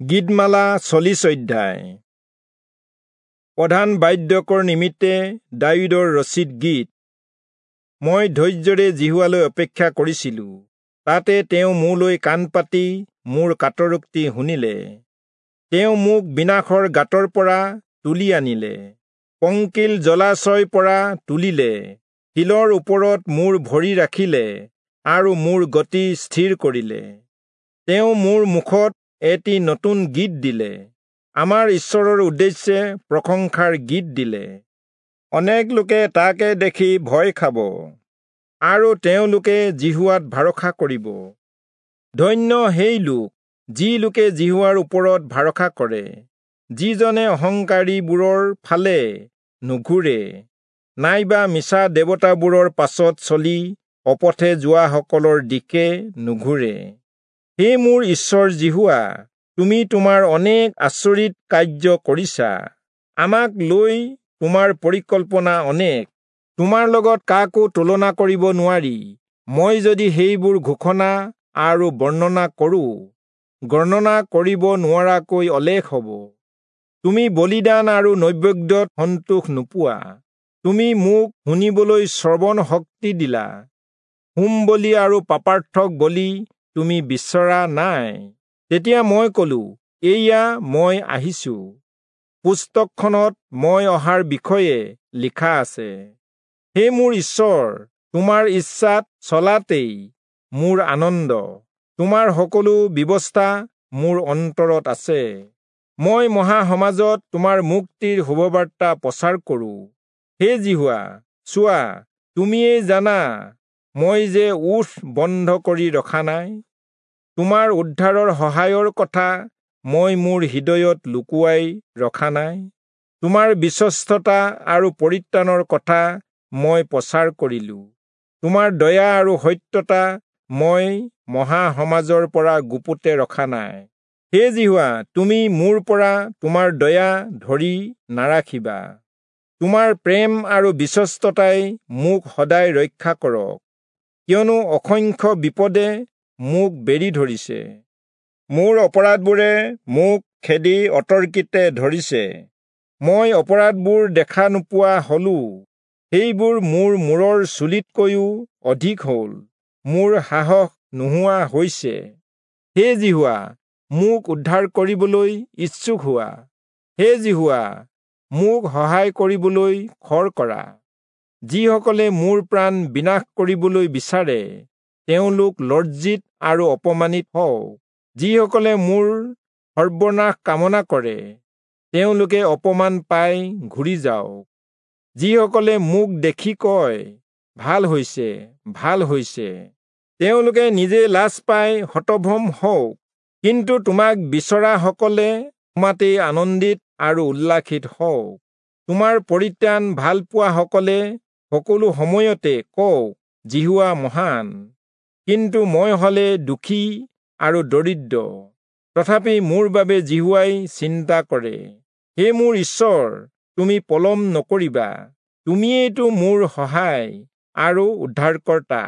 গীতমালা 40 অধ্যায়। প্ৰধান বাদ্যকৰ নিমিত্তে দায়ূদৰ ৰচিত গীত। মই ধৈৰ্যৰে যিহোৱালৈ অপেক্ষা কৰিছিলো, তাতে তেওঁ মোলৈ কাণ পাতি মোৰ কাতৰোক্তি শুনিলে। তেওঁ মোক বিনাশৰ গাঁতৰ পৰা তুলি আনিলে, পংকিল জলাশয়ৰ পৰা তুলিলে, শিলৰ ওপৰত মোৰ ভৰি ৰাখিলে আৰু মোৰ গতি স্থিৰ কৰিলে। তেওঁ মোৰ মুখত এটি নতুন গীত দিলে, আমাৰ ঈশ্বৰৰ উদ্দেশ্যে প্ৰশংসাৰ গীত দিলে। অনেক লোকে তাকে দেখি ভয় খাব আৰু তেওঁলোকে যিহোৱাত ভৰসা কৰিব। ধন্য সেই লোক যি লোকে যিহোৱাৰ ওপৰত ভৰসা কৰে, যিজনে অহংকাৰীবোৰৰ ফালে নুঘূৰে, নাইবা মিছা দেৱতাবোৰৰ পাছত চলি অপথে যোৱাসকলৰ দিশে নুঘূৰে। হে মোৰ ঈশ্বৰ যিহোৱা, তুমি তোমাৰ অনেক আচৰিত কাৰ্য কৰিছা, আমাক লৈ তোমাৰ পৰিকল্পনা অনেক। তোমাৰ লগত কাকো তুলনা কৰিব নোৱাৰি। মই যদি সেইবোৰ ঘোষণা আৰু বৰ্ণনা কৰোঁ, গণনা কৰিব নোৱাৰাকৈ অলেখ হ'ব। তুমি বলিদান আৰু নৈবেদ্যত সন্তোষ নোপোৱা, তুমি মোক শুনিবলৈ শ্ৰৱণ শক্তি দিলা। হোম বলি আৰু পাপাৰ্থক বলি তুমি বিচৰা নাই। তেতিয়া মই কলো, এইয়া মই আহিছো, পুস্তকখনত মই অহাৰ বিষয়ে লিখা আছে। হে মোৰ ঈশ্বৰ, তোমাৰ ইচ্ছাত চলাতেই মোৰ আনন্দ, তোমাৰ সকলো ব্যৱস্থা মোৰ অন্তৰত আছে। মই মহাসমাজত তোমাৰ মুক্তিৰ শুভবাৰ্তা প্ৰচাৰ কৰোঁ। হে যিহোৱা, চোৱা, তুমিয়েই জানা মই যে ওঁঠ বন্ধ কৰি ৰখা নাই। তোমাৰ উদ্ধাৰৰ সহায়ৰ কথা মই মোৰ হৃদয়ত লুকুৱাই ৰখা নাই। তোমাৰ বিশ্বস্ততা আৰু পৰিত্ৰাণৰ কথা মই প্ৰচাৰ কৰিলো। তোমাৰ দয়া আৰু সত্যতা মই মহাসমাজৰ পৰা গুপুতে ৰখা নাই। হে যিহোৱা, তুমি মোৰ পৰা তোমাৰ দয়া ধৰি নাৰাখিবা। তোমাৰ প্ৰেম আৰু বিশ্বস্ততাই মোক সদায় ৰক্ষা কৰক, কিয়নো অসংখ্য বিপদে মোক বেৰি ধৰিছে। মোৰ অপৰাধবোৰে মোক খেদি অতৰ্কিতে ধৰিছে। মই অপৰাধবোৰ দেখা নোপোৱা হলো, সেইবোৰ মোৰ মূৰৰ চুলিতকৈও অধিক হ'ল, মোৰ সাহস নোহোৱা হৈছে। হে যিহোৱা, মোক উদ্ধাৰ কৰিবলৈ ইচ্ছুক হোৱা। হে যিহোৱা, মোক সহায় কৰিবলৈ খৰ কৰা। যিসকলে মোৰ প্ৰাণ বিনাশ কৰিবলৈ বিচাৰে, তেওঁলোক লজ্জিত আৰু অপমানিত হওক। যিসকলে মোৰ সৰ্বনাশ কামনা কৰে, তেওঁলোকে অপমান পাই ঘূৰি যাওক। যিসকলে মোক দেখি কয়, ভাল হৈছে, ভাল হৈছে, তেওঁলোকে নিজে লাজ পাই হতভম্ব হওক। কিন্তু তোমাক বিচৰাসকলে তোমাতেই আনন্দিত আৰু উল্লাসিত হওক। তোমাৰ পৰিত্ৰাণ ভাল পোৱাসকলে সকলো সময়তে কওক, যিহোৱা মহান। কিন্তু মই হলে দুখী আৰু দৰিদ্ৰ, তথাপি মোৰ বাবে যিহোৱাই চিন্তা কৰে। হে মোৰ ঈশ্বৰ, তুমি পলম নকৰিবা, তুমিয়েইতো মোৰ সহায় আৰু উদ্ধাৰকৰ্তা।